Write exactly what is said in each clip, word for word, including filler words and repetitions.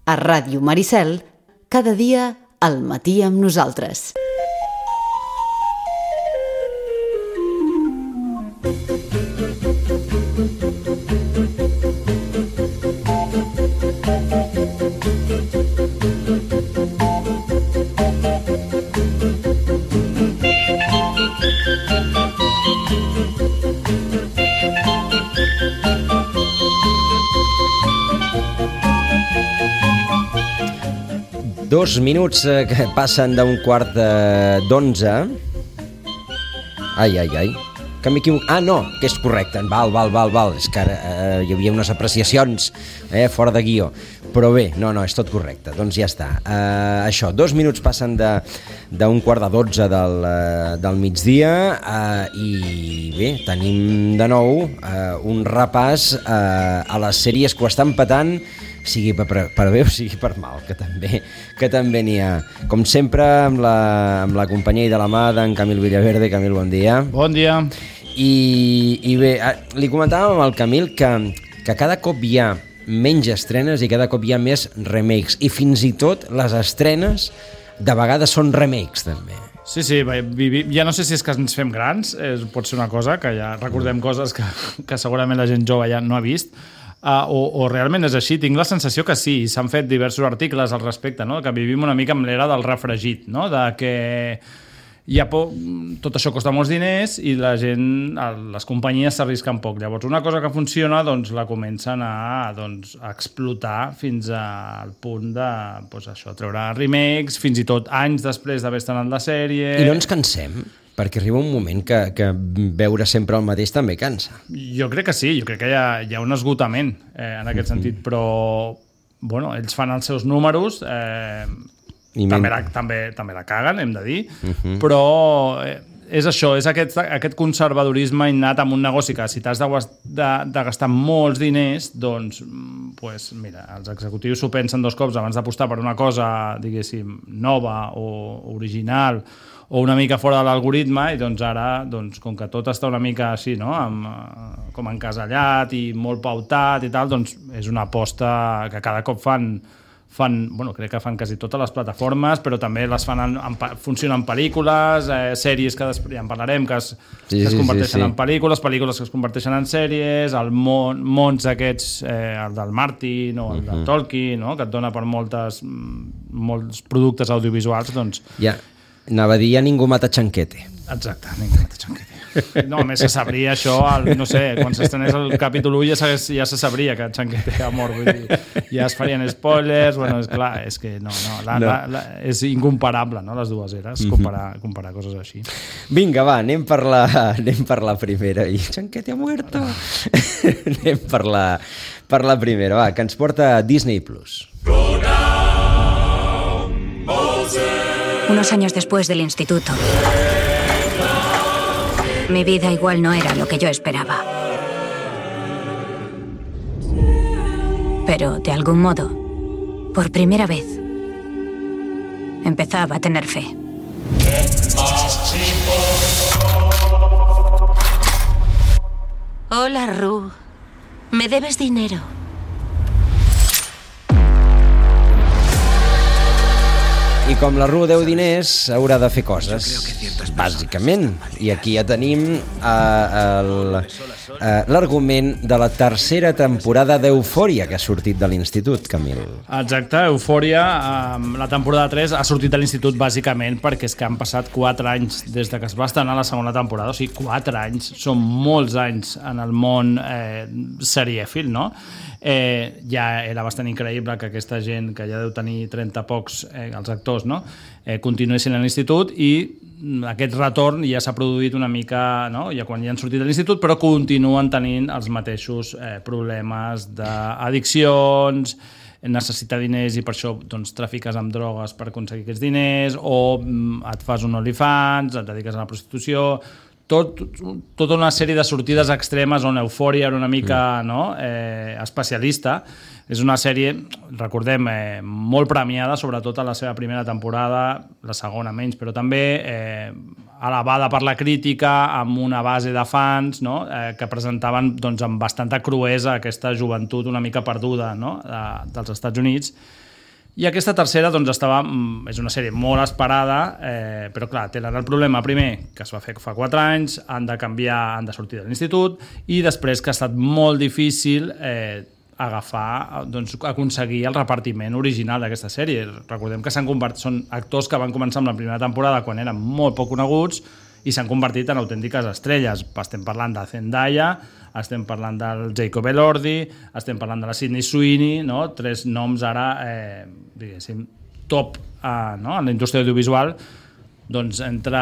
A Ràdio Maricel, cada dia al matí amb nosaltres. Dos minuts eh, que passen d'un quart d'onze. Ai, ai, ai. Que m'equivoco. Ah, no, que és correcte. Val, val, val, val. És que ara eh, hi havia unes apreciacions eh, fora de guió. Però bé, no, no, és tot correcte. Doncs ja està. Eh, això, dos minuts passen d'un quart de dotze del, eh, del migdia eh, i bé, tenim de nou eh, un repàs eh, a les sèries que ho estan petant, sigui per, per bé o sigui per mal, que també que també n'hi ha. Com sempre, amb la, amb la companyia i de la mà d'en Camil Villaverde. Camil, bon dia. Bon dia. I, i bé, li comentàvem al Camil que, que cada cop hi ha menys estrenes i cada cop hi ha més remakes. I fins i tot les estrenes de vegades són remakes, també. Sí, sí, ja no sé si és que ens fem grans, eh, pot ser una cosa, que ja recordem coses que, que segurament la gent jove ja no ha vist, Uh, o, o realment és així. Tinc la sensació que sí, s'han fet diversos articles al respecte, no? Que vivim una mica amb l'era del refregit, no? De que hi ha por... tot això costa molts diners i la gent, les companyies s'arrisquen poc. Llavors una cosa que funciona doncs la comencen a, doncs, a explotar fins al punt de doncs, això, treure remakes, fins i tot anys després d'haver estrenat la sèrie. I no ens cansem? Perquè arriba un moment que, que veure sempre el mateix també cansa. Jo crec que sí, jo crec que hi ha, hi ha un esgotament eh, en aquest uh-huh. sentit, però bueno, ells fan els seus números, eh, també, la, també, també la caguen, hem de dir, uh-huh. però eh, és això, és aquest, aquest conservadorisme innat amb un negoci que si t'has de, de, de gastar molts diners, doncs, pues, mira, els executius s'ho pensen dos cops abans d'apostar per una cosa, diguéssim, nova o original, o una mica fora de l'algoritme, i doncs ara, doncs, com que tot està una mica així, no? Amb, com encasellat i molt pautat i tal, doncs és una aposta que cada cop fan, fan bueno, crec que fan quasi totes les plataformes, però també les fan en, en, funcionen en pel·lícules, eh, sèries que després ja en parlarem, que es, sí, que es converteixen sí, sí, sí. en pel·lícules, pel·lícules que es converteixen en sèries, el món, mons aquests, eh, el del Martin o el uh-huh. del Tolkien, no? Que et dona per moltes, molts productes audiovisuals, doncs... Ja. Anava a dir, ja ningú mata Chanquete. Exacte, ningú mata Chanquete. No, a més se sabria això, el, no sé, quan s'estrenés el capítol u ja, ja se sabria que Chanquete ha mort, vull dir, ja es farien spoilers, bueno, és clar, és que no, no, la, no. La, la, és incomparable, no?, les dues eres, comparar, comparar coses així. Vinga, va, anem per la, anem per la primera. I Chanquete ha muerto. Anem per la, per la primera, va, que ens porta Disney Plus. Go down, Moses. Unos años después del instituto, mi vida igual no era lo que yo esperaba. Pero, de algún modo, por primera vez, empezaba a tener fe. Hola, Ru. ¿Me debes dinero? I com la Ru deu diners, haurà de fer coses, bàsicament. I aquí ja tenim uh, l'argument de la tercera temporada d'Eufòria, que ha sortit de l'Institut, Camil. Exacte, Eufòria, um, la temporada tres ha sortit de l'Institut bàsicament perquè és que han passat quatre anys des de que es va estrenar la segona temporada, o sigui, quatre anys, són molts anys en el món eh, serièfil, no? Eh, ja era bastant increïble que aquesta gent, que ja deu tenir trenta pocs, eh, els actors, no? eh, continuessin a l'institut, i aquest retorn ja s'ha produït una mica, no? Ja quan ja han sortit de l'institut, però continuen tenint els mateixos eh, problemes d'addiccions, necessitar diners i per això doncs, trafiques amb drogues per aconseguir aquests diners, o mm, et fas un OnlyFans, et dediques a la prostitució, tot, tota una sèrie de sortides extremes on Eufòria era una mica no, eh, especialista. És una sèrie, recordem, eh, molt premiada, sobretot a la seva primera temporada, la segona menys, però també eh, alabada per la crítica, amb una base de fans, no? eh, que presentaven doncs, amb bastanta cruesa aquesta joventut una mica perduda, no? de, dels Estats Units. I aquesta tercera doncs, estava, és una sèrie molt esperada, eh, però clar, tenen el problema primer, que es va fer fa quatre anys, han de canviar, han de sortir de l'institut, i després que ha estat molt difícil eh, agafar, doncs, aconseguir el repartiment original d'aquesta sèrie. Recordem que s'han convertit, són actors que van començar amb la primera temporada quan eren molt poc coneguts i s'han convertit en autèntiques estrelles. Estem parlant de Zendaya, estem parlant del Jacob Elordi, estem parlant de la Sydney Sweeney, no? Tres noms ara, eh, diguéssim, top eh, no? en la indústria audiovisual. Doncs entre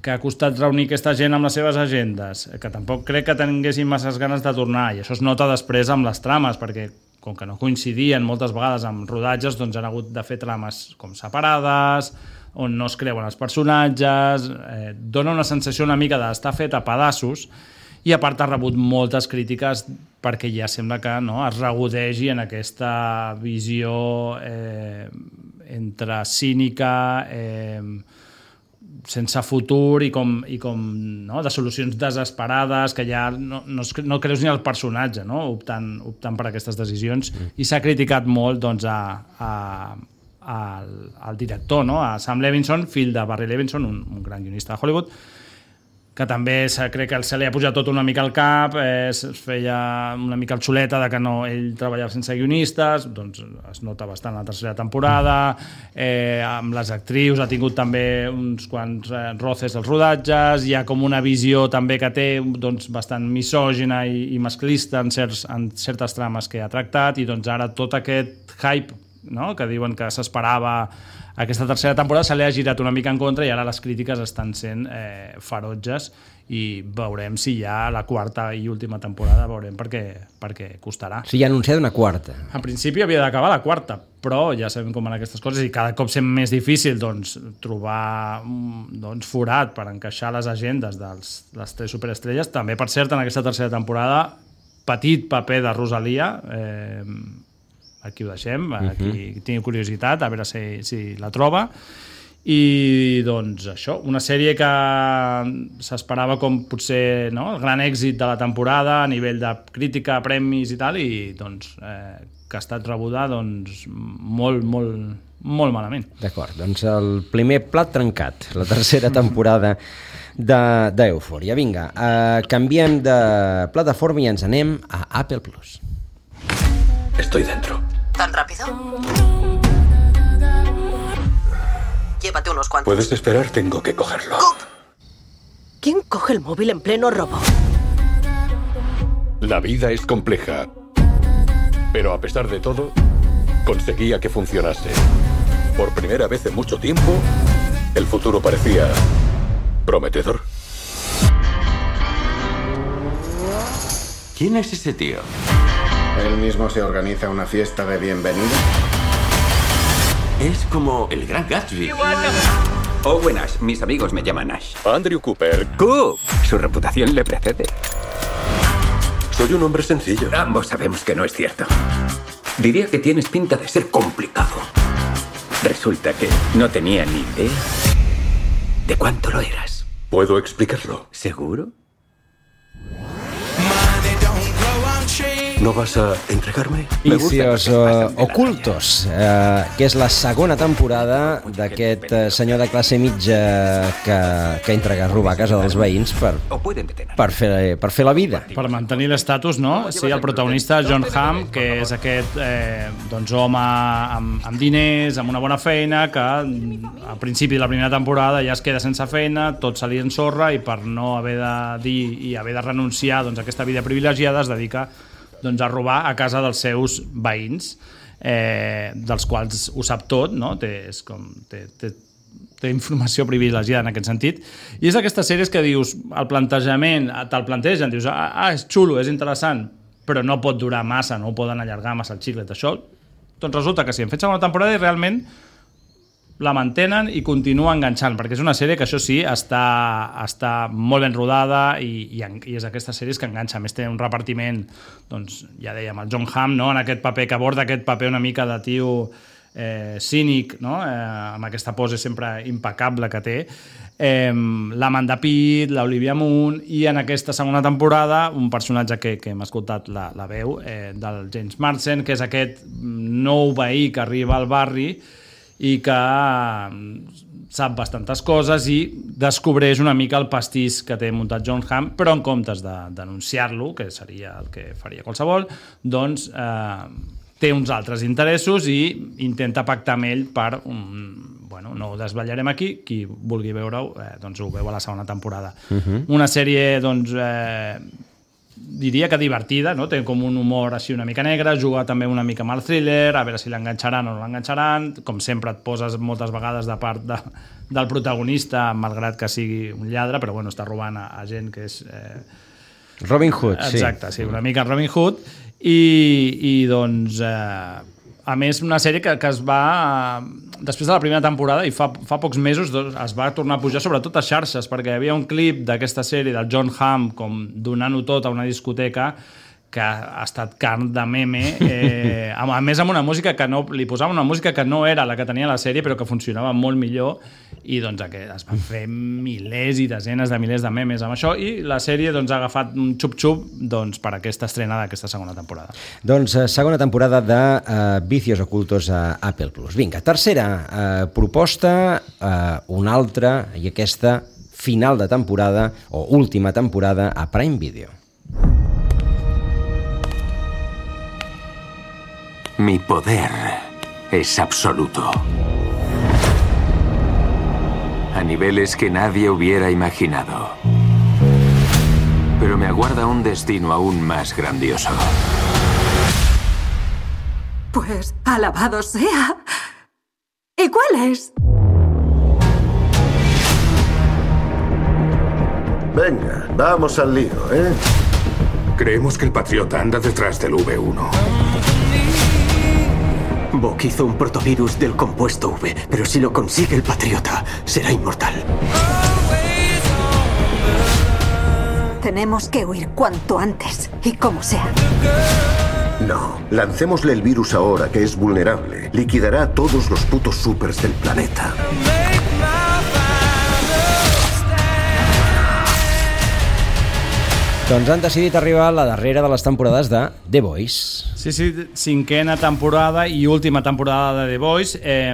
que ha costat reunir aquesta gent amb les seves agendes, que tampoc crec que tinguessin masses ganes de tornar, i això es nota després amb les trames, perquè com que no coincidien moltes vegades amb rodatges, doncs han hagut de fer trames com separades, on no es creuen els personatges, eh, dona una sensació una mica d'estar fet a pedaços, i a part ha rebut moltes crítiques perquè ja sembla que no, es regudegi en aquesta visió eh, entre cínica, eh, sense futur i com, i com no, de solucions desesperades, que ja no, no, no creus ni el personatge, no? optant, optant per aquestes decisions, mm. i s'ha criticat molt doncs, a, a, al, al director, no? A Sam Levinson, fill de Barry Levinson, un, un gran guionista de Hollywood, que també crec que se li ha pujat tot una mica al cap, eh, es feia una mica el xuleta de que no, ell treballava sense guionistes, doncs es nota bastant la tercera temporada, eh, amb les actrius ha tingut també uns quants eh, roces als rodatges, hi ha com una visió també que té doncs, bastant misògina i, i masclista en, certs, en certes trames que ha tractat, i doncs ara tot aquest hype, no?, que diuen que s'esperava aquesta tercera temporada se li ha girat una mica en contra, i ara les crítiques estan sent eh, ferotges, i veurem si ja la quarta i última temporada veurem perquè, perquè costarà. O sigui, ha anunciat una quarta. En principi havia d'acabar la quarta, però ja sabem com van aquestes coses, i cada cop sent més difícil doncs, trobar doncs, forat per encaixar les agendes de les tres superestrelles. També, per cert, en aquesta tercera temporada, petit paper de Rosalia, eh, aquí ho deixem, aquí uh-huh. tinc curiositat a veure si, si la troba, i doncs això, una sèrie que s'esperava com potser no, el gran èxit de la temporada a nivell de crítica, premis i tal, i doncs eh, que ha estat rebuda doncs, molt, molt, molt malament. D'acord, doncs el primer plat trencat, la tercera temporada d'Eufòria. Vinga, eh, canviem de plataforma i ens anem a Apple Plus. Estoy dentro. ¿Tan rápido? Llévate unos cuantos. ¿Puedes esperar? Tengo que cogerlo. ¡Coop! ¿Quién coge el móvil en pleno robo? La vida es compleja. Pero a pesar de todo, conseguía que funcionase. Por primera vez en mucho tiempo, el futuro parecía prometedor. ¿Quién es ese tío? ¿Él mismo se organiza una fiesta de bienvenida? Es como el gran Gatsby. Oh, buenas. Mis amigos me llaman Ash. Andrew Cooper. ¡Coop! Su reputación le precede. Soy un hombre sencillo. Ambos sabemos que no es cierto. Diría que tienes pinta de ser complicado. Resulta que no tenía ni idea de cuánto lo eras. ¿Puedo explicarlo? ¿Seguro? ¿No vas a entregarme? Vicios uh, Ocultos, uh, que és la segona temporada d'aquest uh, senyor de classe mitja que, que entra a robar a casa dels veïns per, per, fer, per fer la vida. Per mantenir l'estatus, no? Sí, el protagonista, John Hamm, que és aquest eh, doncs, home amb, amb diners, amb una bona feina, que al principi de la primera temporada ja es queda sense feina, tot se li ensorra, i per no haver de dir i haver de renunciar doncs, a aquesta vida privilegiada es dedica doncs, a robar a casa dels seus veïns, eh, dels quals ho sap tot, no? Té, és com, té, té, té informació privilegiada en aquest sentit, i és d'aquestes sèries que dius, el plantejament, te'l plantegen, dius, ah, ah, és xulo, és interessant, però no pot durar massa, no ho poden allargar massa el xiclet, això, doncs resulta que sí, han fet segona temporada i realment la mantenen i continua enganxant, perquè és una sèrie que això sí, està, està molt ben rodada i, i, i és d'aquestes sèries que enganxa. A més té un repartiment, doncs ja dèiem, el John Hamm, no? En aquest paper, que aborda aquest paper una mica de tio eh, cínic, no? eh, amb aquesta pose sempre impecable que té, eh, l'Amanda Pitt, l'Olivia Munn, i en aquesta segona temporada un personatge que, que hem escoltat la, la veu, eh, del James Marsden, que és aquest nou veí que arriba al barri i que sap bastantes coses i descobreix una mica el pastís que té muntat John Hamm, però en comptes de denunciar-lo, que seria el que faria qualsevol, doncs eh, té uns altres interessos i intenta pactar amb ell per un... Bueno, no ho desvetllarem aquí, qui vulgui veure-ho eh, doncs ho veu a la segona temporada. Uh-huh. Una sèrie, doncs, eh, diria que divertida, no? Té com un humor així una mica negre, juga també una mica amb el thriller, a veure si l'enganxaran o no l'enganxaran, com sempre et poses moltes vegades de part de, del protagonista, malgrat que sigui un lladre, però bueno, està robant a, a gent que és... Eh... Robin Hood, sí. Exacte, sí, una mica Robin Hood, i, i doncs... Eh, a més, una sèrie que, que es va... Després de la primera temporada, i fa, fa pocs mesos, doncs, es va tornar a pujar sobretot a xarxes, perquè hi havia un clip d'aquesta sèrie del John Hamm com donant-ho tot a una discoteca que ha estat carn de meme, eh, a més amb una música que no... Li posava una música que no era la que tenia la sèrie, però que funcionava molt millor, i doncs es van fer milers i desenes de milers de memes amb això, i la sèrie doncs, ha agafat un xup-xup doncs, per aquesta estrena d'aquesta segona temporada. Doncs segona temporada de uh, Vicios Ocultos a Apple Plus. Vinga, tercera uh, proposta, uh, una altra, i aquesta final de temporada, o última temporada, a Prime Video. Mi poder es absoluto. A niveles que nadie hubiera imaginado. Pero me aguarda un destino aún más grandioso. Pues, alabado sea. ¿Y cuál es? Venga, vamos al lío, ¿eh? Creemos que el Patriota anda detrás del V uno. Bok hizo un protovirus del compuesto V, pero si lo consigue el Patriota, será inmortal. Tenemos que huir cuanto antes, y como sea. No, lancémosle el virus ahora, que es vulnerable. Liquidará a todos los putos supers del planeta. Doncs han decidit arribar a la darrera de les temporades de The Boys. Sí, sí, cinquena temporada i última temporada de The Boys. Eh,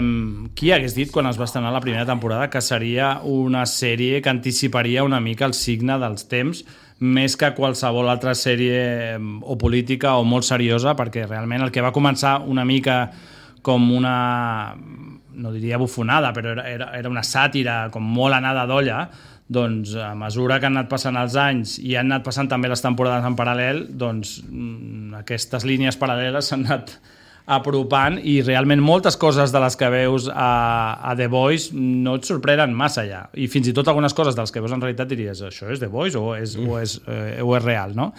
qui hagués dit quan es va estrenar la primera temporada que seria una sèrie que anticiparia una mica el signe dels temps, més que qualsevol altra sèrie o política o molt seriosa, perquè realment el que va començar una mica com una, no diria bufonada, però era, era, era una sàtira com molt anada d'olla, doncs a mesura que han anat passant els anys i han anat passant també les temporades en paral·lel, doncs aquestes línies paral·leles s'han anat apropant i realment moltes coses de les que veus a, a The Boys no et sorprenen massa ja, i fins i tot algunes coses de les que veus en realitat diries, això és The Boys o és, mm. o és, eh, o és real, no?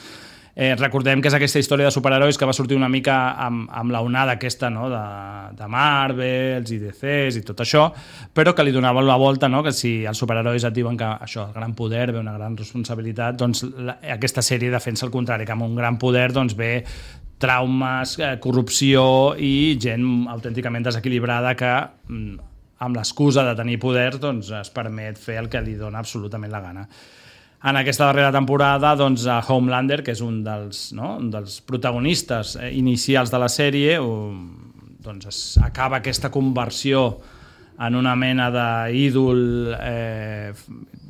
Eh, recordem que és aquesta història de superherois que va sortir una mica amb, amb la onada aquesta, no? de, de Marvels i D Cs i tot això, però que li donaven la volta, no? Que si els superherois et diuen que això, el gran poder ve una gran responsabilitat, doncs la, aquesta sèrie defensa el contrari, que amb un gran poder doncs, ve traumes, eh, corrupció i gent autènticament desequilibrada que amb l'excusa de tenir poder doncs, es permet fer el que li dona absolutament la gana. En aquesta darrera temporada, doncs, a Homelander, que és un dels, no? un dels protagonistes inicials de la sèrie, doncs es acaba aquesta conversió en una mena d'ídol eh,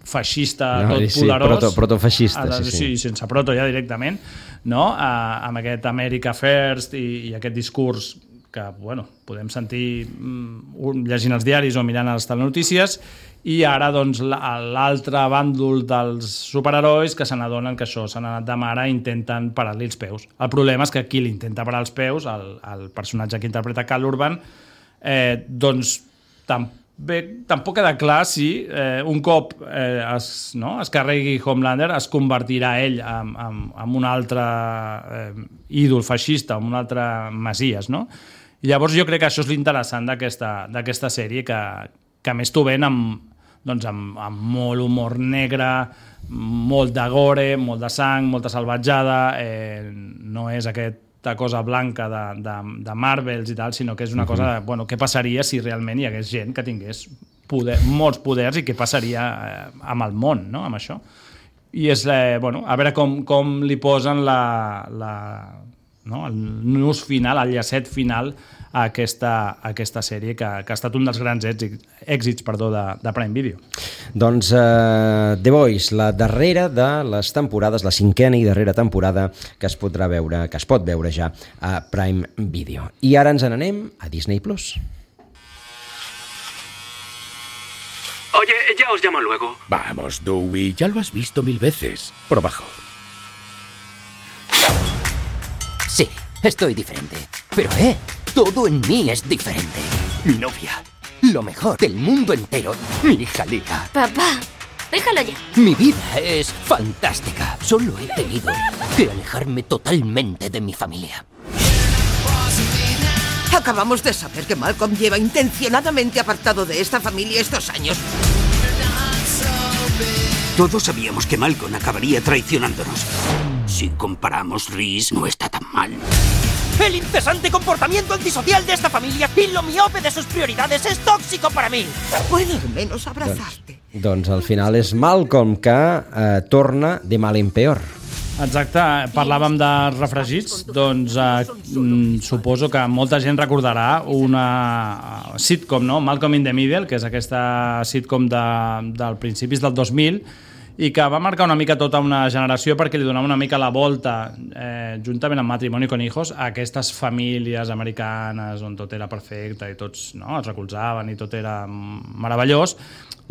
feixista no, tot sí, poderós. Proto, protofeixista, sí, sí. Sí, sense proto ja directament, no? A, amb aquest America First i, i aquest discurs que bueno, podem sentir mm, llegint els diaris o mirant les telenotícies, i ara doncs, l'altre bàndol dels superherois que se n'adonen que això s'han anat de mare i intenten parar-li els peus. El problema és que qui l'intenta parar els peus, el, el personatge que interpreta Cal Urban, eh, doncs també, tampoc queda clar si eh, un cop eh, es, no, es carregui Homelander es convertirà ell en, en, en un altre eh, ídol feixista, en un altre Messies, no? I llavors jo crec que això és l'interessant d'aquesta sèrie, que, que a més t'ho ven amb, doncs amb, amb molt humor negre, molt de gore, molt de sang, molta salvatjada, eh, no és aquest aquesta cosa blanca de, de, de Marvels i tal, sinó que és una cosa de, bueno, què passaria si realment hi hagués gent que tingués poder, molts poders i què passaria eh, amb el món, no?, amb això. I és, eh, bueno, a veure com, com li posen la, la, no, el nus final, el llacet final a aquesta, a aquesta sèrie que, que ha estat un dels grans èxits, èxits perdó, de, de Prime Video. Doncs uh, The Voice, la darrera de les temporades, la cinquena i darrera temporada que es podrà veure, que es pot veure ja a Prime Video. I ara ens n'anem a Disney Plus. Oye, ya os llamo luego. Vamos, Dewey, ya lo has visto mil veces. Por abajo. Sí, estoy diferente. Pero, eh, todo en mí es diferente. Mi novia, lo mejor del mundo entero, mi hija Lila. Papá, déjalo ya. Mi vida es fantástica. Solo he tenido que alejarme totalmente de mi familia. Acabamos de saber que Malcolm lleva intencionadamente apartado de esta familia estos años. Todos sabíamos que Malcolm acabaría traicionándonos. Si comparamos, Reese no está tan mal. El incesante comportamiento antisocial de esta familia y lo miope de sus prioridades es tóxico para mí. Puedo al menos abrazarte. Doncs, doncs al final és Malcolm que eh, torna de mal en peor. Exacte, parlàvem de refregits, doncs eh, suposo que molta gent recordarà una sitcom, no? Malcolm in the Middle, que és aquesta sitcom de, del principis del dos mil, i que va marcar una mica tota una generació perquè li donava una mica la volta, eh, juntament amb Matrimoni con Hijos, a aquestes famílies americanes on tot era perfecte i tots, no, es recolzaven i tot era meravellós.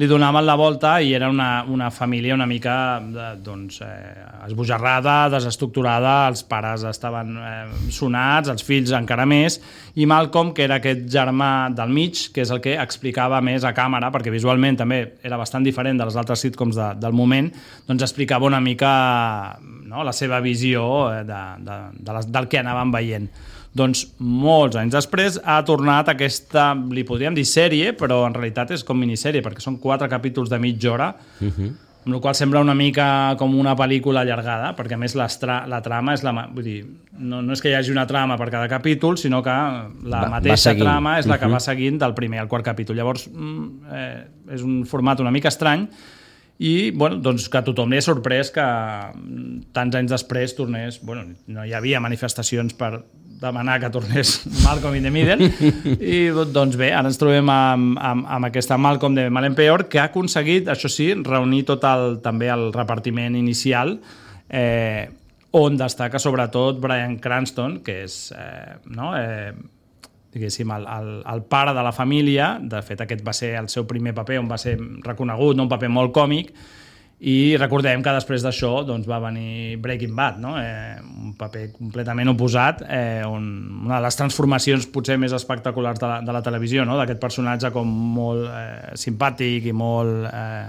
Li donaven la volta i era una, una família una mica doncs, eh, esbojarrada, desestructurada, els pares estaven eh, sonats, els fills encara més, i Malcolm, que era aquest germà del mig, que és el que explicava més a càmera, perquè visualment també era bastant diferent de les altres sitcoms de, del moment, doncs explicava una mica, no, la seva visió de, de, de les, del que anaven veient. Doncs molts anys després ha tornat aquesta, li podríem dir sèrie, però en realitat és com minissèrie, perquè són quatre capítols de mitja hora, uh-huh. amb la qual sembla una mica com una pel·lícula allargada, perquè a més la, la trama és la... Vull dir, no, no és que hi hagi una trama per cada capítol, sinó que la va, mateixa va trama és la que uh-huh. va seguint del primer al quart capítol. Llavors, eh, és un format una mica estrany, i bueno, doncs que a tothom li ha sorprès que tants anys després tornés... Bueno, no hi havia manifestacions per demanar que tornés Malcolm in the Middle, i doncs bé, ara ens trobem amb, amb, amb aquesta Malcolm de mal en peor, que ha aconseguit, això sí, reunir tot el, també el repartiment inicial, eh, on destaca sobretot Bryan Cranston, que és eh, no, eh, diguéssim, el, el, el pare de la família. De fet, aquest va ser el seu primer paper on va ser reconegut, no? Un paper molt còmic, i recordem que després d'això doncs, va venir Breaking Bad, no? eh, un paper completament oposat, eh, on una de les transformacions potser més espectaculars de la, de la televisió, no? D'aquest personatge com molt eh, simpàtic i molt eh,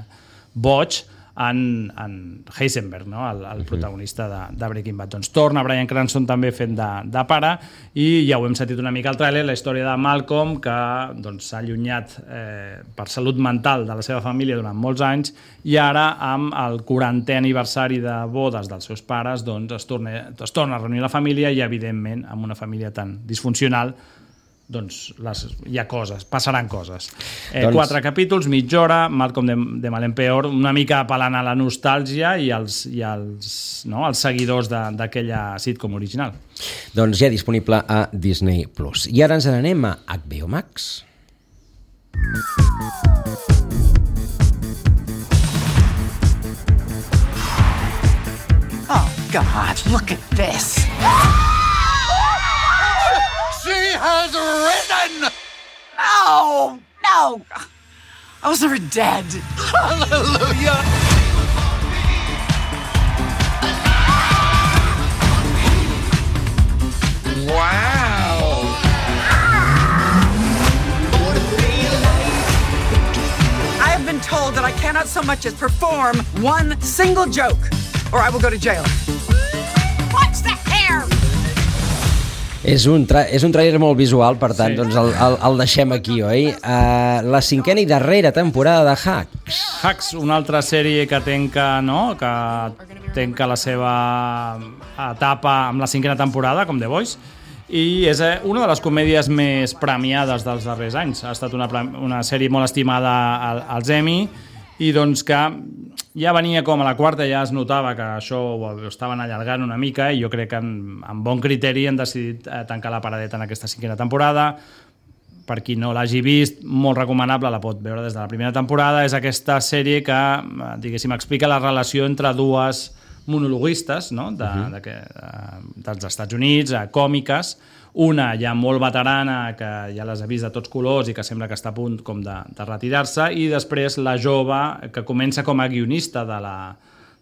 boig, en, en Heisenberg, no? el, el protagonista de, de Breaking Bad. Doncs torna Bryan Cranston també fent de, de pare, i ja ho hem sentit una mica al tràiler, la història de Malcolm, que doncs, s'ha allunyat eh, per salut mental de la seva família durant molts anys, i ara amb el quarantè aniversari de bodes dels seus pares doncs, es, torna, es torna a reunir la família, i evidentment amb una família tan disfuncional doncs les, hi ha coses, passaran coses. Eh, doncs... Quatre capítols, mitja hora, Malcolm de, de mal en peor, una mica apel·lant a la nostàlgia i als, i als, no, als seguidors d'aquella sitcom original. Doncs ja disponible a Disney Plus. I ara ens n'anem a H B O Max. Oh, God, look at this. She has risen! No! No! I was never dead. Hallelujah! Wow! I have been told that I cannot so much as perform one single joke, or I will go to jail. What's the hair? És un, tra és un trailer molt visual, per tant, sí. doncs el, el, el deixem aquí, oi? Uh, la cinquena i darrera temporada de Hacks. Hacks, una altra sèrie que tenca, no? que tenca la seva etapa amb la cinquena temporada, com The Voice, i és una de les comèdies més premiades dels darrers anys. Ha estat una, una sèrie molt estimada als Emmy, i doncs que ja venia com a la quarta, ja es notava que això ho estaven allargant una mica, i jo crec que amb, amb bon criteri han decidit tancar la paradeta en aquesta cinquena temporada. Per qui no l'hagi vist, molt recomanable, la pot veure des de la primera temporada. És aquesta sèrie que, diguéssim, explica la relació entre dues monologuistes, no? de, uh-huh. de, de, dels Estats Units, còmiques, una ja molt veterana, que ja les ha vist de tots colors i que sembla que està a punt com de, de retirar-se, i després la jove, que comença com a guionista de la,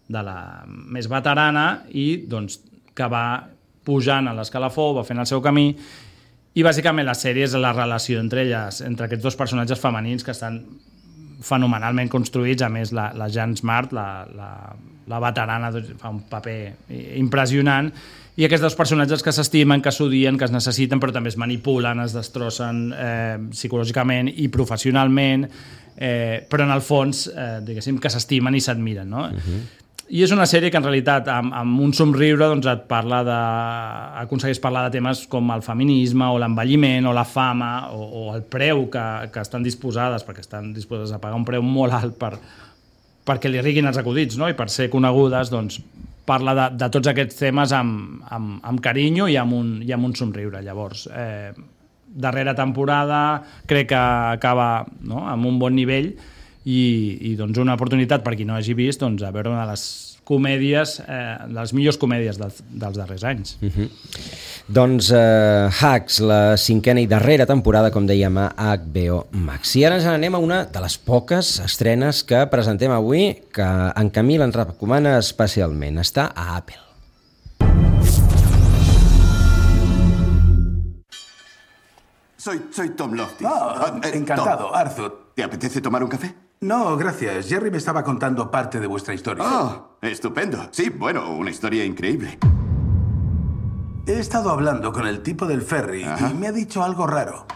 de la més veterana i doncs, que va pujant a l'escalafó, va fent el seu camí, i bàsicament la sèrie és la relació entre elles, entre aquests dos personatges femenins que estan fenomenalment construïts. A més, la, la Jean Smart, la, la, la veterana, doncs, fa un paper impressionant, i aquests dos personatges que s'estimen, que s'odien, que es necessiten, però també es manipulen, es destrossen eh, psicològicament i professionalment, eh, però en el fons, eh, diguéssim, que s'estimen i s'admiren, no? Uh-huh. I és una sèrie que en realitat amb, amb un somriure doncs, et parla de, aconsegueix parlar de temes com el feminisme o l'envelliment o la fama o, o el preu que, que estan disposades, perquè estan disposades a pagar un preu molt alt per, perquè li riguin els acudits, no? I per ser conegudes, doncs, parla de, de tots aquests temes amb, amb, amb carinyo i amb, un, i amb un somriure. Llavors, eh, darrera temporada crec que acaba, no? Amb un bon nivell, i, i doncs una oportunitat per qui no hagi vist, doncs, a veure una de les comèdies, eh, les millors comèdies dels, dels darrers anys. Uh-huh. Doncs uh, Hacks, la cinquena i darrera temporada, com dèiem, a H B O Max. I ara ens anem a una de les poques estrenes que presentem avui, que en Camil ens recomana especialment. Està a Apple. Soy, soy Tom Lofty. Oh, eh, encantado, Tom. Arthur. ¿Te apetece tomar un café? No, gracias. Jerry me estaba contando parte de vuestra historia. Oh, estupendo. Sí, bueno, una historia increíble. He estado hablando con el tipo del ferry. Ajá. Y me ha dicho algo raro.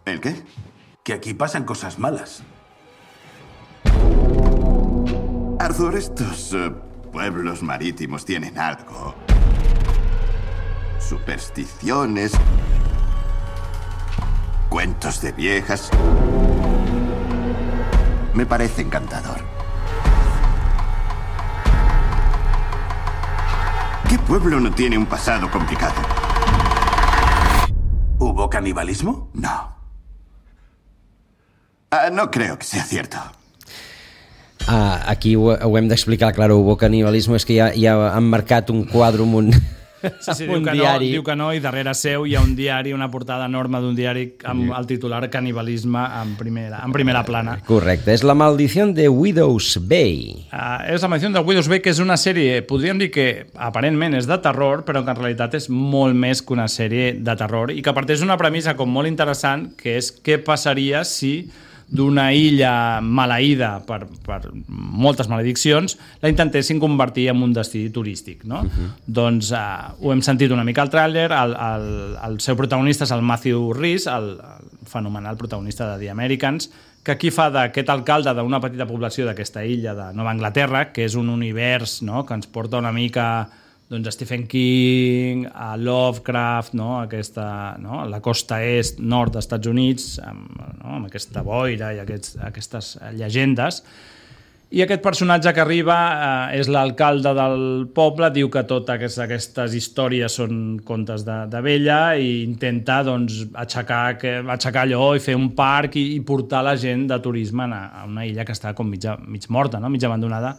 ¿El qué? Que aquí pasan cosas malas. Arthur, estos uh, pueblos marítimos tienen algo. Supersticiones, cuentos de viejas. Me parece encantador. ¿Qué pueblo no tiene un pasado complicado? ¿Hubo canibalismo? No. Uh, no creo que sea cierto. Ah, aquí ho, ho hem d'explicar, clar, hubo canibalisme, és que ja, ja han marcat un quadre amb un, sí, sí, diu, un que diari. No, diu que no, i darrere seu hi ha un diari, una portada enorme d'un diari amb el titular Canibalisme en primera, en primera plana. Correcte, és La maldició de Widow's Bay. Uh, és La maldició de Widow's Bay, que és una sèrie, podríem dir que aparentment és de terror, però que en realitat és molt més que una sèrie de terror, i que parteix d'una premissa com molt interessant, que és què passaria si d'una illa maleïda per, per moltes malediccions, la intentessin convertir en un destí turístic, no? Uh-huh. Doncs uh, ho hem sentit una mica al tràiler, el, el, el seu protagonista és el Matthew Rhys, el, el fenomenal protagonista de The Americans, que aquí fa d'aquest alcalde d'una petita població d'aquesta illa de Nova Anglaterra, que és un univers, no?, que ens porta una mica doncs, a Stephen King, a Lovecraft, no? Aquesta, no? La costa est, nord dels Estats Units, amb, no? amb aquesta boira i aquests, aquestes llegendes. I aquest personatge que arriba eh, és l'alcalde del poble, diu que totes aquestes històries són contes de, de vella, i intenta doncs, aixecar, que, aixecar allò i fer un parc i, i portar la gent de turisme a, a una illa que està com mitja, mig morta, no? Mig abandonada.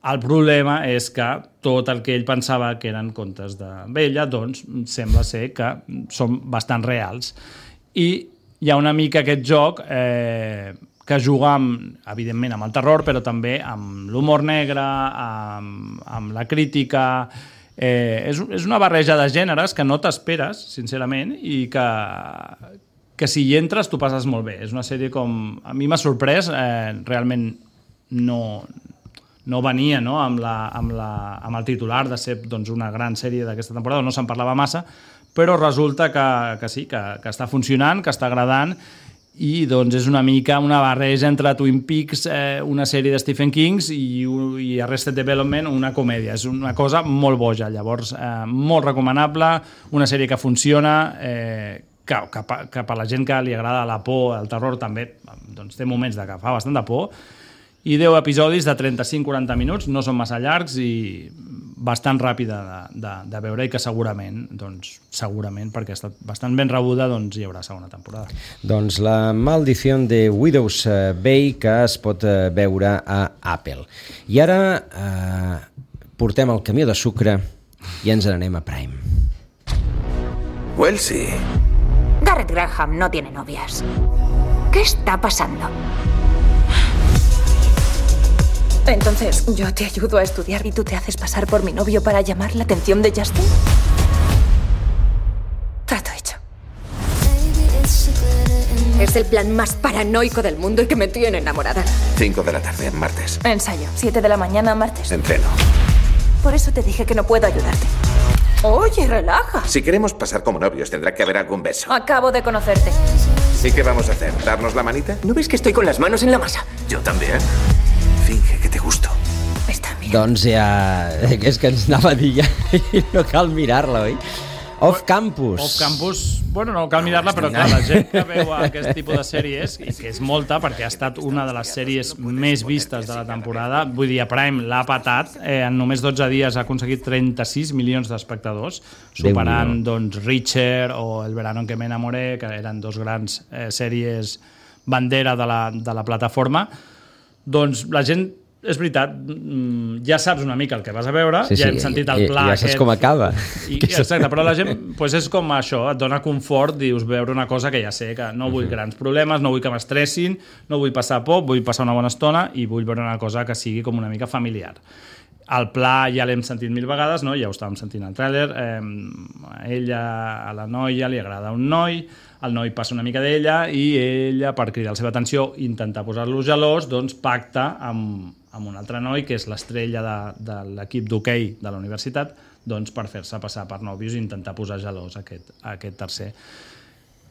El problema és que tot el que ell pensava que eren contes de vella, doncs sembla ser que són bastant reals. I hi ha una mica aquest joc eh, que juga, amb, evidentment, amb el terror, però també amb l'humor negre, amb, amb la crítica. Eh, és, és una barreja de gèneres que no t'esperes, sincerament, i que, que si hi entres tu passes molt bé. És una sèrie com... A mi m'ha sorprès, eh, realment no... no venia, no?, amb, la, amb, la, amb el titular de ser doncs, una gran sèrie d'aquesta temporada, no se'n parlava massa, però resulta que, que sí, que, que està funcionant, que està agradant, i doncs és una mica una barreja entre Twin Peaks, eh, una sèrie de Stephen King i, i Arrested Development, una comèdia. És una cosa molt boja, llavors eh, molt recomanable, una sèrie que funciona, eh, que, que, que per la gent que li agrada la por, el terror també, doncs té moments de que fa bastant de por, i deu episodis de trenta-cinc a quaranta minuts, no són massa llargs i bastant ràpida de, de, de veure, i que segurament, doncs, segurament, perquè ha estat bastant ben rebuda, doncs hi haurà segona temporada. Doncs La maldició de Widow's Bay, que es pot veure a Apple. I ara eh, portem el camió de sucre i ens n'anem a Prime. Wellesley. Garrett Graham no tiene novias. ¿Qué está pasando? Entonces, ¿yo te ayudo a estudiar y tú te haces pasar por mi novio para llamar la atención de Justin? Trato hecho. Es el plan más paranoico del mundo y que me tiene enamorada. Cinco de la tarde, martes. Ensayo. Siete de la mañana, martes. Entreno. Por eso te dije que no puedo ayudarte. Oye, relaja. Si queremos pasar como novios, tendrá que haber algún beso. Acabo de conocerte. ¿Y qué vamos a hacer? ¿Darnos la manita? ¿No ves que estoy con las manos en la masa? Yo también. Finge que te gusto. Doncs ja... És que ens anava a dir ja i no cal mirar-la, oi? Off Campus. Off Campus, bueno, no cal mirar-la, però clar, la gent que veu aquest tipus de sèries, i que és molta, perquè ha estat una de les sèries més vistes de la temporada, vull dir, a Prime l'ha patat, eh, en només dotze dies ha aconseguit trenta-sis milions d'espectadors, superant, doncs, Reacher o El verano en que me enamoré, que eren dos grans eh, sèries bandera de la, de la plataforma. Doncs la gent, és veritat, ja saps una mica el que vas a veure, sí, ja sí, hem sentit el pla ja aquest. saps com acaba. I, exacte, però la gent pues és com això, et dona confort, dius, veure una cosa que ja sé, que no vull grans problemes, no vull que m'estressin, no vull passar por, vull passar una bona estona i vull veure una cosa que sigui com una mica familiar. El pla ja l'hem sentit mil vegades, no? Ja ho estàvem sentint al tràiler, eh, a ella, a la noia, li agrada un noi, el noi passa una mica d'ella i ella, per cridar la seva atenció i intentar posar-lo gelós, doncs pacta amb, amb un altre noi, que és l'estrella de, de l'equip d'hoquei de la universitat, doncs per fer-se passar per nòvios i intentar posar gelós aquest, aquest tercer.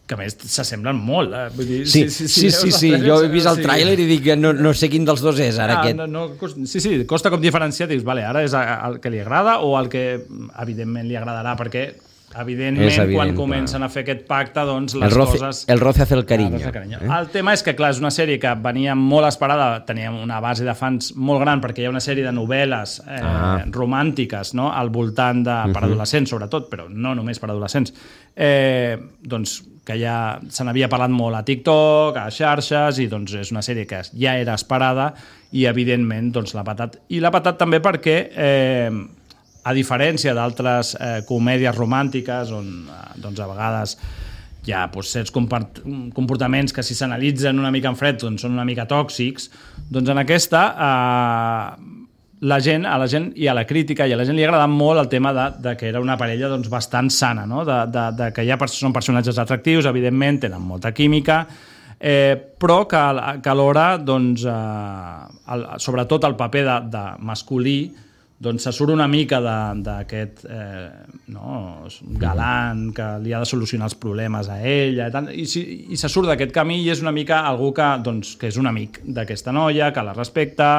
Que a més s'assemblen molt. Eh? Vull dir, sí, si, si, sí, sí, sí. jo he vist el sí. tràiler i dic que no, no sé quin dels dos és ara ah, aquest. No, no, sí, sí, costa com diferenciar, dius, vale, ara és el que li agrada o el que evidentment li agradarà, perquè evidentment evident, quan comencen clar. a fer aquest pacte, doncs les el roce, coses... El roce hace el cariño. El, cariño. Eh? El tema és que, clar, és una sèrie que venia molt esperada, tenia una base de fans molt gran, perquè hi ha una sèrie de novel·les eh, ah. romàntiques, no?, al voltant de... per adolescents, sobretot, però no només per adolescents. Eh, doncs que ja se n'havia parlat molt a TikTok, a xarxes, i doncs és una sèrie que ja era esperada i, evidentment, doncs l'ha patat. I l'ha patat també perquè, eh, a diferència d'altres eh, comèdies romàntiques, on doncs, a vegades hi ha doncs, certs comportaments que, si s'analitzen una mica en fred, doncs són una mica tòxics, doncs en aquesta... Eh, la gent, a la gent i a la crítica i a la gent li ha agradat molt el tema de, de que era una parella doncs, bastant sana, no? de, de, de que ja són personatges atractius, evidentment, tenen molta química, eh, però que, que alhora, doncs, eh, el, sobretot el paper de, de masculí, doncs se surt una mica d'aquest eh, no, galant que li ha de solucionar els problemes a ella i, tant, i, i se surt d'aquest camí i és una mica algú que, doncs, que és un amic d'aquesta noia, que la respecta,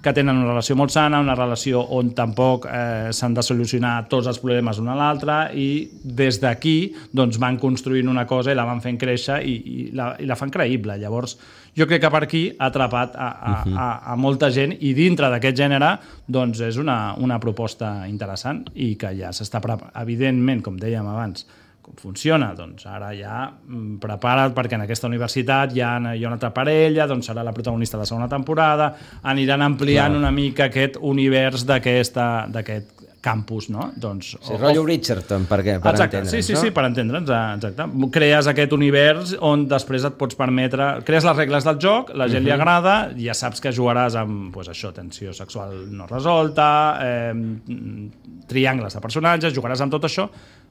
que tenen una relació molt sana, una relació on tampoc eh, s'han de solucionar tots els problemes una a l'altra, i des d'aquí doncs, van construint una cosa i la van fent créixer i, i, la, i la fan creïble. Llavors jo crec que per aquí ha atrapat a, a, a, a molta gent, i dintre d'aquest gènere doncs és una, una proposta interessant i que ja s'està preparant. Evidentment, com dèiem abans, com funciona, doncs ara ja prepara't, perquè en aquesta universitat hi ha, hi ha una altra parella, doncs serà la protagonista de la segona temporada, aniran ampliant Clar. una mica aquest univers d'aquest campus, no? Doncs, sí, rotllo Bridgerton, per, què? per exacte, entendre'ns, sí, sí, no? sí, per entendre'ns, exacte. Crees aquest univers on després et pots permetre... Crees les regles del joc, la gent uh-huh. li agrada, ja saps que jugaràs amb, pues, això, tensió sexual no resolta, eh, triangles de personatges, jugaràs amb tot això,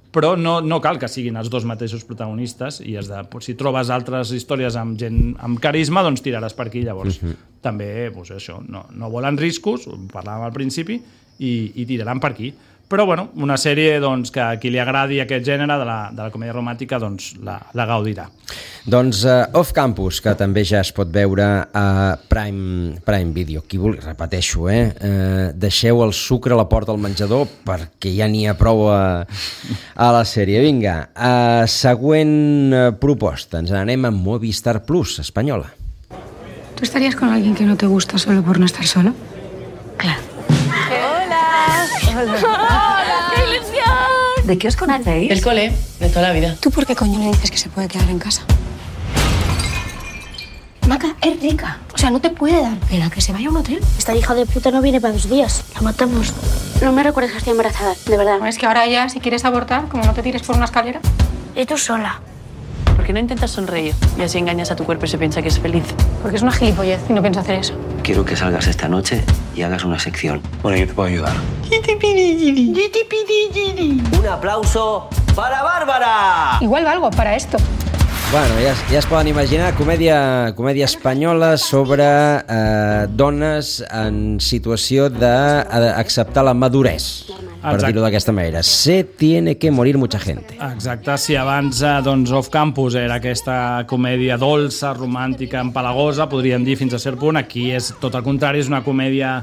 però no, no cal que siguin els dos mateixos protagonistes, i has de, si trobes altres històries amb gent amb carisma, doncs tiraràs per aquí. Llavors, uh-huh. també, doncs això, no, no volen riscos, ho parlàvem al principi, i, i tiraran per aquí. Però, bueno, una sèrie doncs, que a qui li agradi aquest gènere de la, de la comèdia romàntica doncs, la, la gaudirà. Doncs uh, Off Campus, que també ja es pot veure a Prime, Prime Video. Qui vulgui, repeteixo, eh? Uh, deixeu el sucre a la porta del menjador perquè ja n'hi ha prou a, a la sèrie. Vinga, uh, següent uh, proposta. Ens anem a Movistar Plus, espanyola. ¿Tú estarías con alguien que no te gusta solo por no estar solo? Claro. ¡Hola! ¡Hola! ¡Qué ilusión! ¿De qué os conocéis? El cole, de toda la vida. ¿Tú por qué coño le dices que se puede quedar en casa? Maca, es rica. O sea, no te puede dar pena que se vaya a un hotel. Esta hija de puta no viene para dos días. La matamos. No me recuerdes que estoy embarazada, de verdad. Es que ahora ya, si quieres abortar, como no te tires por una escalera. Y tú sola. ¿Por qué no intentas sonreír? Y así engañas a tu cuerpo y se piensa que es feliz. Porque es una gilipollez y no pienso hacer eso. Quiero que salgas esta noche y hagas una sección. Bueno, yo te puedo ayudar. Un aplauso para Bárbara. Igual valgo para esto. Bueno, ja, ja es poden imaginar, comèdia, comèdia espanyola sobre eh, dones en situació d'acceptar la madurez, per dir-ho d'aquesta manera. Se tiene que morir mucha gente. Exacte, si abans doncs, Off Campus era aquesta comèdia dolça, romàntica, empalagosa, podríem dir fins a cert punt, aquí és tot el contrari, és una comèdia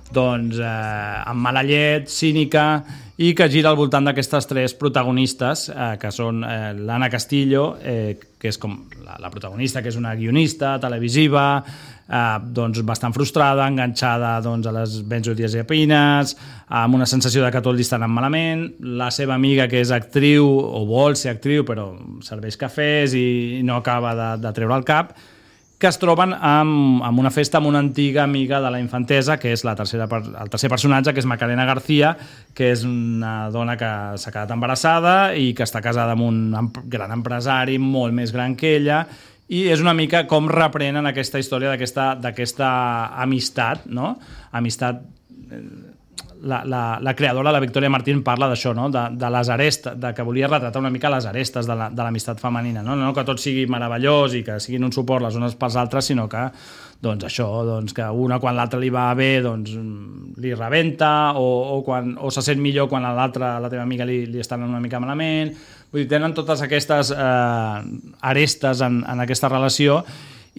doncs, eh, amb mala llet, cínica, i que gira al voltant d'aquestes tres protagonistes, eh, que són eh, l'Anna Castillo, eh, que és com la, la protagonista, que és una guionista televisiva, eh, doncs bastant frustrada, enganxada doncs, a les benzodiazepines, amb una sensació de que tot li està anant malament, la seva amiga, que és actriu, o vol ser actriu, però serveix cafès i no acaba de, de treure el cap, que es troben amb, amb una festa amb una antiga amiga de la infantesa, que és la tercera, el tercer personatge, que és Macarena García, que és una dona que s'ha quedat embarassada i que està casada amb un gran empresari molt més gran que ella, i és una mica com reprenen aquesta història d'aquesta amistat, no? Amistat... La, la, la creadora, la Victoria Martín, parla d'això, no? de, de les arestes, de que volia retratar una mica les arestes de l'amistat femenina, no? No que tot sigui meravellós i que siguin un suport les unes pels altres, sinó que doncs això, doncs que una quan l'altra li va bé doncs li rebenta, o, o, quan, o se sent millor quan a l'altra, la teva amiga li, li està anant una mica malament. Vull dir, tenen totes aquestes eh, arestes en, en aquesta relació,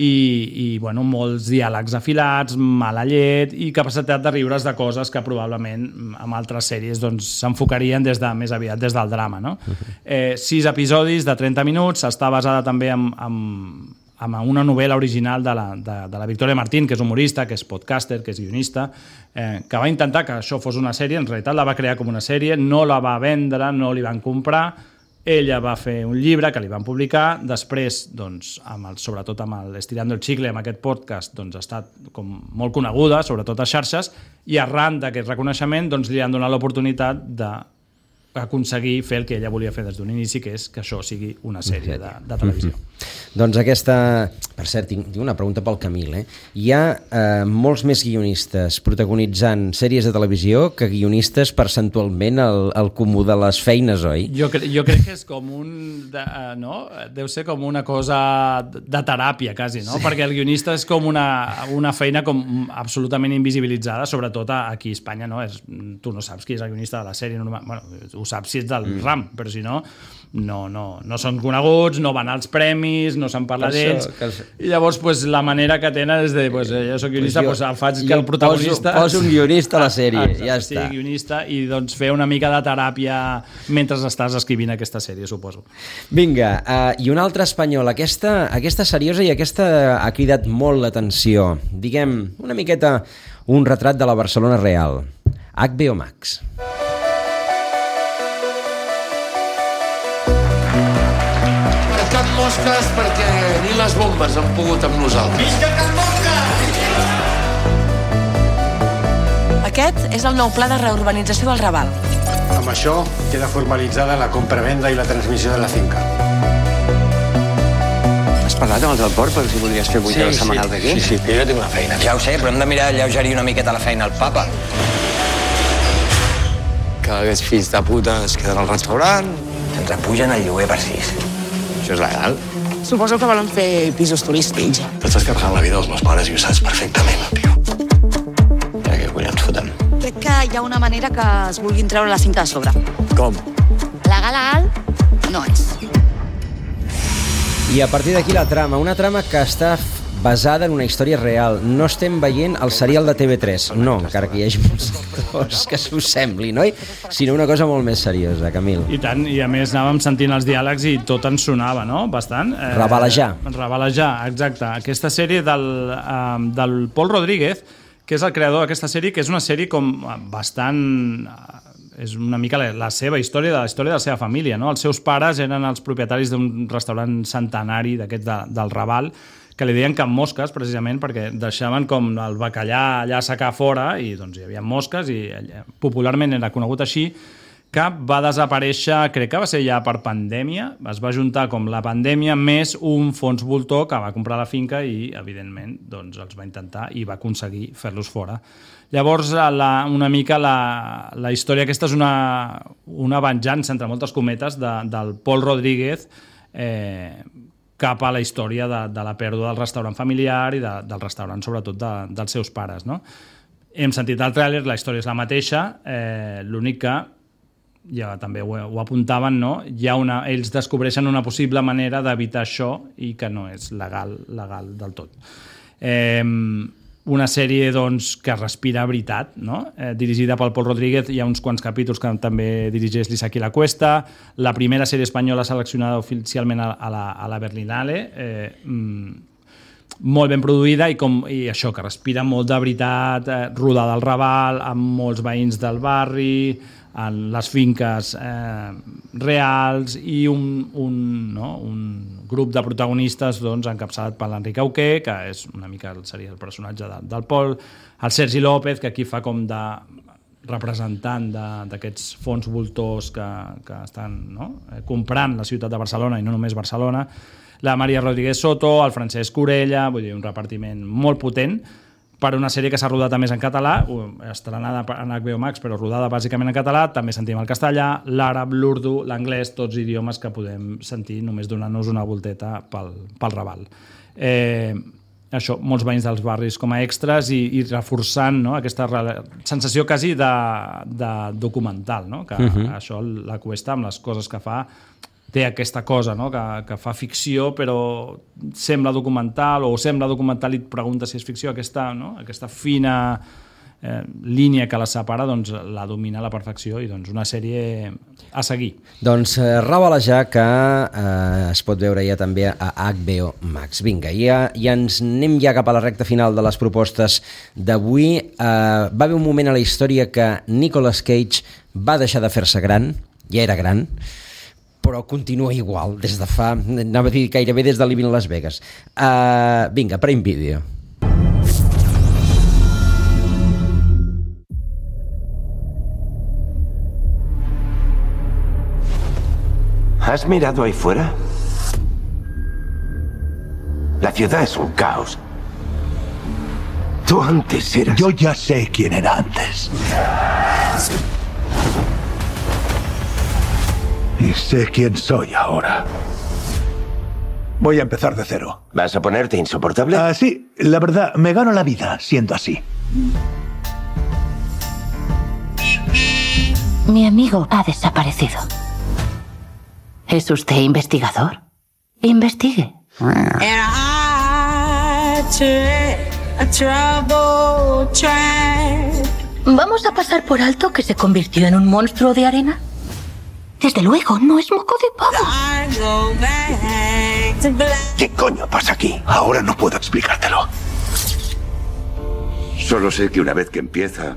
i, i bueno, molts diàlegs afilats, mala llet i capacitat de riure's de coses que probablement en altres sèries doncs, s'enfocarien des de, més aviat des del drama, no? Eh, sis episodis de trenta minuts, està basada també en, en, en una novel·la original de la, de, de la Victoria Martín, que és humorista, que és podcaster, que és guionista, eh, que va intentar que això fos una sèrie, en realitat la va crear com una sèrie, no la va vendre, no li van comprar. Ella va fer un llibre que li van publicar, després, doncs, amb el, sobretot amb el Estirando el Chicle, amb aquest podcast, doncs, ha estat com molt coneguda, sobretot a xarxes, i arran d'aquest reconeixement doncs, li han donat l'oportunitat d'aconseguir fer el que ella volia fer des d'un inici, que és que això sigui una sèrie de, de televisió. Mm-hmm. Doncs aquesta... Per cert, tinc, tinc una pregunta pel Camil. Eh? Hi ha eh, molts més guionistes protagonitzant sèries de televisió que guionistes percentualment al, al comú de les feines, oi? Jo, cre jo crec que és com un... De, uh, no? Deu ser com una cosa de teràpia, quasi, no? Sí. Perquè el guionista és com una, una feina com absolutament invisibilitzada, sobretot aquí a Espanya, no? És, tu no saps qui és el guionista de la sèrie. Normal. Bueno, ho saps si ets del mm. ram, però si no... No, no, no són coneguts, no van als premis, no se'n parla d'ells, i llavors pues, la manera que tenen és de, pues, jo soc guionista, pues, pues, faig que el protagonista... Poso, poso un guionista a la sèrie, exacte, ja sí, està. Guionista, i doncs fer una mica de teràpia mentre estàs escrivint aquesta sèrie, suposo. Vinga, uh, i una altra espanyola, aquesta, aquesta seriosa i aquesta ha cridat molt l'atenció. Diguem, una miqueta un retrat de la Barcelona real. H B O Max. Mosques perquè ni les bombes han pogut amb nosaltres. Visca Can Mosca! Aquest és el nou pla de reurbanització del Raval. Amb això queda formalitzada la compravenda i la transmissió de la finca. Has parlat amb els del port per si voldries fer vuit sí, hores setmanals d'aquí? Sí, sí, que jo tinc una feina. Ja ho sé, però hem de mirar de lleugerir una miqueta la feina al papa. Cada aquests fills de puta es queden al restaurant. Se'ns apugen el lloguer per sis. Això és legal? Suposo que volen fer pisos turístics. T'estàs carregant la vida dels meus pares i ho saps perfectament, tio. Ja que collons fotem. Crec que hi ha una manera que es vulguin treure la cinta de sobre. Com? Legal, legal, no és. I a partir d'aquí la trama, una trama que està basada en una història real. No estem veient el serial de T V tres, no, encara que hi hagi molts actors que s'ho sembli, no? Sinó una cosa molt més seriosa, Camil. I tant, i a més anàvem sentint els diàlegs i tot ens sonava, no? Bastant. Eh, Rebalejar. Rebalejar, exacte. Aquesta sèrie del, eh, del Pol Rodríguez, que és el creador d'aquesta sèrie, que és una sèrie com bastant... és una mica la, la seva història, de la història de la seva família, no? Els seus pares eren els propietaris d'un restaurant centenari d'aquest de, del Raval, que li deien Can Mosques, precisament, perquè deixaven com el bacallà allà a secar fora i doncs hi havia mosques i popularment era conegut així, que va desaparèixer, crec que va ser ja per pandèmia, es va juntar com la pandèmia més un fons voltor que va comprar la finca i, evidentment, doncs els va intentar i va aconseguir fer-los fora. Llavors, la, una mica la, la història aquesta és una, una venjança, entre moltes cometes, de, del Pol Rodríguez eh, cap a la història de, de la pèrdua del restaurant familiar i de, del restaurant, sobretot, de, dels seus pares, no? Hem sentit el tràiler, la història és la mateixa, eh, l'únic que, ja també ho, ho apuntaven, no? Hi ha una, ells descobreixen una possible manera d'evitar això i que no és legal, legal del tot. Eh, una sèrie doncs, que respira veritat, no? eh, dirigida pel Pol Rodríguez, hi ha uns quants capítols que també dirigeix l'Isaki La Cuesta, la primera sèrie espanyola seleccionada oficialment a, a, la, a la Berlinale, eh, mm, molt ben produïda i, com, i això, que respira molt de veritat, eh, rodada al Raval, amb molts veïns del barri, en les finques eh, reals i un, un, no, un grup de protagonistes doncs, encapçalat per l'Enric Auqué, que és una mica seria el personatge de, del Pol, el Sergi López, que aquí fa com de representant d'aquests fons voltors que, que estan no, comprant la ciutat de Barcelona i no només Barcelona, la Maria Rodríguez Soto, el Francesc Corella, vull dir, un repartiment molt potent, per una sèrie que s'ha rodat a més en català, estrenada en H B O Max, però rodada bàsicament en català, també sentim el castellà, l'àrab, l'urdu, l'anglès, tots idiomes que podem sentir només donant-nos una volteta pel, pel Raval. Eh, això, molts veïns dels barris com a extras i, i reforçant no, aquesta sensació quasi de, de documental, no? Que uh-huh. això La Cuesta, amb les coses que fa, té aquesta cosa, no? que, que fa ficció però sembla documental o sembla documental i et pregunta si és ficció, aquesta, no? aquesta fina eh, línia que la separa doncs, la domina a la perfecció i doncs, una sèrie a seguir. Doncs eh, Rebalejar, que eh, es pot veure ja també a H B O Max. Vinga, ja, ja ens anem ja cap a la recta final de les propostes d'avui. Eh, va haver un moment a la història que Nicolas Cage va deixar de fer-se gran, ja era gran, però continua igual, des de fa, anava a dir gairebé des de Living Las Vegas. Uh, vinga, Prime Video. ¿Has mirado ahí fuera? La ciudad es un caos. Tú antes eras... Yo ya sé quién era antes. Y sé quién soy ahora. Voy a empezar de cero. ¿Vas a ponerte insoportable? Ah, sí, la verdad, me gano la vida siendo así. Mi amigo ha desaparecido. ¿Es usted investigador? Investigue. ¿Vamos a pasar por alto que se convirtió en un monstruo de arena? Desde luego, no es moco de pavo. ¿Qué coño pasa aquí? Ahora no puedo explicártelo. Solo sé que una vez que empieza,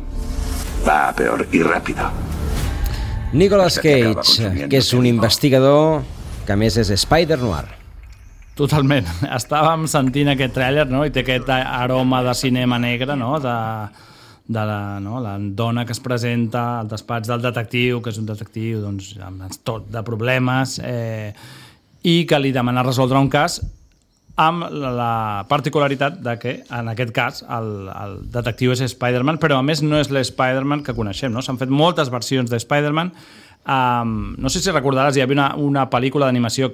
va a peor y rápido. Nicolas Cage, que és un investigador que a més és Spider-Noir. Totalment. Estàvem sentint aquest tràiler, no? I té aquest aroma de cinema negre, no? De... de la, no, la dona que es presenta al despatx del detectiu, que és un detectiu doncs, amb tot de problemes, eh, i que li demana resoldre un cas amb la particularitat de que, en aquest cas, el, el detectiu és Spider-Man, però a més no és l'Spider-Man que coneixem, no? S'han fet moltes versions de Spider-Man. Um, no sé si recordaràs, hi havia una, una pel·lícula d'animació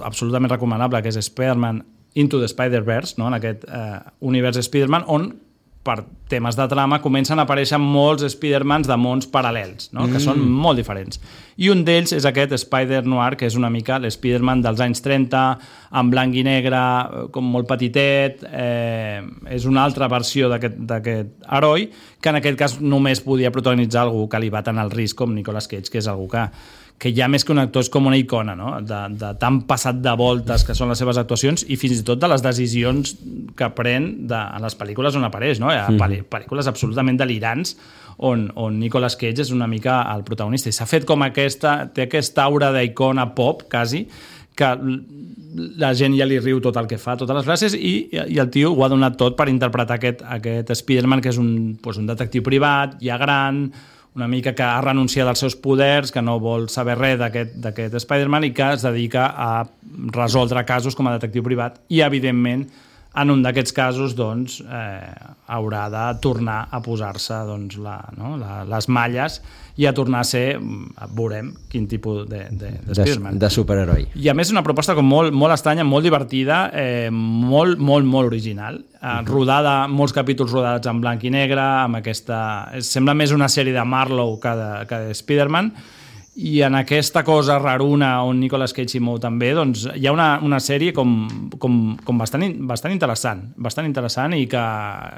absolutament recomanable, que és Spider-Man Into the Spider-Verse, no? En aquest eh, univers Spider-Man, on per temes de trama comencen a aparèixer molts Spider-Mans de mons paral·lels, no? Mm. Que són molt diferents. I un d'ells és aquest Spider-Noir, que és una mica l'Spider-Man dels anys trenta, en blanc i negre, com molt petitet, eh, és una altra versió d'aquest heroi, que en aquest cas només podia protagonitzar algú que li va tant el risc com Nicolas Cage, que és algú que que ja més que un actor és com una icona, no? de, de tan passat de voltes que són les seves actuacions i fins i tot de les decisions que pren de, en les pel·lícules on apareix, no? Hi ha pel·li, pel·lícules absolutament delirants on, on Nicolas Cage és una mica el protagonista i s'ha fet com aquesta, té aquesta aura d'icona pop, quasi, que la gent ja li riu tot el que fa, totes les frases, i, i el tio ho ha donat tot per interpretar aquest, aquest Spider-Man, que és un, doncs un detectiu privat, ja gran, una mica que ha renunciat als seus poders, que no vol saber res d'aquest Spider-Man i que es dedica a resoldre casos com a detectiu privat i, evidentment, en un d'aquests casos doncs, eh, haurà de tornar a posar-se doncs, la, no? la, les malles i a tornar a ser, veurem quin tipus de, de, de Spider-Man. De, de superheroi. I a més és una proposta com molt, molt estranya, molt divertida, eh, molt, molt, molt original, eh, uh-huh. rodada, molts capítols rodats en blanc i negre, amb aquesta... Sembla més una sèrie de Marlowe que de, que de Spider-Man, i en aquesta cosa raruna on Nicolas Cage s'hi mou també, doncs hi ha una, una sèrie com, com, com bastant, bastant interessant, bastant interessant i que,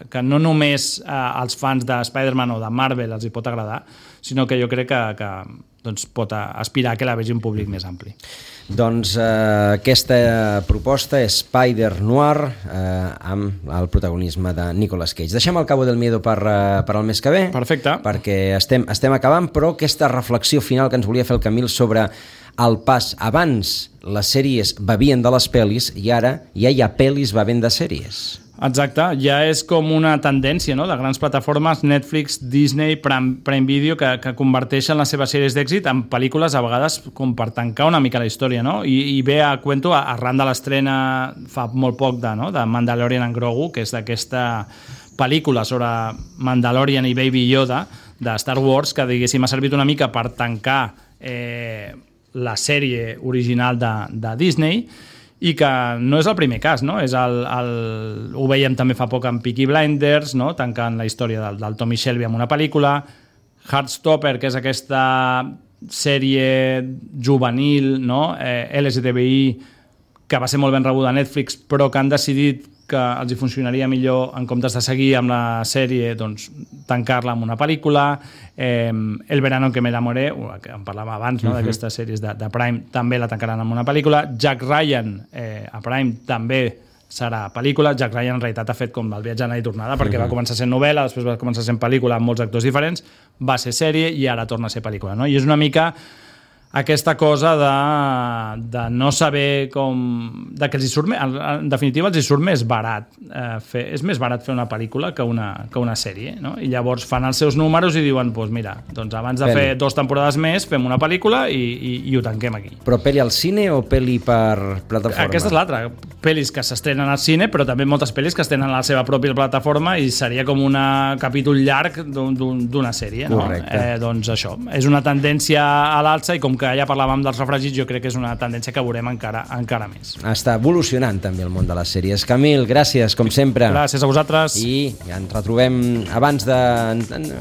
que no només eh, als fans de Spider-Man o de Marvel els hi pot agradar, sinó que jo crec que, que doncs, pot aspirar que la vegi un públic més ampli. Doncs eh, aquesta proposta és Spider-Noir eh, amb el protagonisme de Nicolas Cage. Deixem el Cabo del Miedo per, eh, per al mes que ve. Perfecte. Perquè estem, estem acabant, però aquesta reflexió final que ens volia fer el Camil sobre el pas. Abans les sèries bevien de les pel·lis i ara ja hi ha pel·lis bevent de sèries. Exacte, ja és com una tendència, no?, de grans plataformes, Netflix, Disney, Prime, Prime Video, que, que converteixen les seves sèries d'èxit en pel·lícules a vegades com per tancar una mica la història, no? I, i ve a cuento arran de l'estrena fa molt poc de, no?, de Mandalorian and Grogu, que és d'aquesta pel·lícula sobre Mandalorian i Baby Yoda de Star Wars, que diguéssim ha servit una mica per tancar eh, la sèrie original de, de Disney, i que no és el primer cas, no? És el, el, ho veiem també fa poc amb Peaky Blinders, no? Tancant la història del, del Tommy Shelby amb una pel·lícula, Heartstopper, que és aquesta sèrie juvenil, no? eh, L G T B I, que va ser molt ben rebuda a Netflix, però que han decidit que els hi funcionaria millor, en comptes de seguir amb la sèrie, doncs, tancar-la amb una pel·lícula. Eh, El verano en que me enamoré, que en parlàvem abans, no?, uh-huh. d'aquestes sèries de, de Prime, també la tancaran amb una pel·lícula. Jack Ryan, eh, a Prime, també serà pel·lícula. Jack Ryan en realitat ha fet com el viatge anada i tornada, perquè uh-huh. va començar sent novel·la, després va començar sent pel·lícula amb molts actors diferents, va ser sèrie i ara torna a ser pel·lícula, no? I és una mica aquesta cosa de, de no saber com... de que els hi surt més, en definitiva els hi surt més barat eh, fer, és més barat fer una pel·lícula que una, que una sèrie, no? I llavors fan els seus números i diuen, doncs mira, doncs abans de pel·li. fer dues temporades més fem una pel·lícula i, i, i ho tanquem aquí. Però pel·li al cine o pel·li per plataforma? Aquesta és l'altra, pel·lis que s'estrenen al cine, però també moltes pel·lis que estrenen a la seva pròpia plataforma i seria com un capítol llarg d'una sèrie, no? Eh, doncs això, és una tendència a l'alça i com que ja parlàvem dels refregits, jo crec que és una tendència que veurem encara, encara més. Està evolucionant també el món de les sèries. Camil, gràcies, com sempre. Gràcies a vosaltres. I ens retrobem abans de,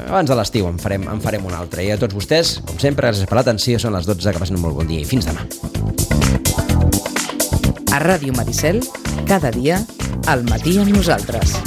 abans de l'estiu, en farem, en farem un altre. I a tots vostès, com sempre, gràcies per l'atenció. Són les dotze, que passin un molt bon dia i fins demà. A Ràdio Maricel, cada dia, al matí amb nosaltres.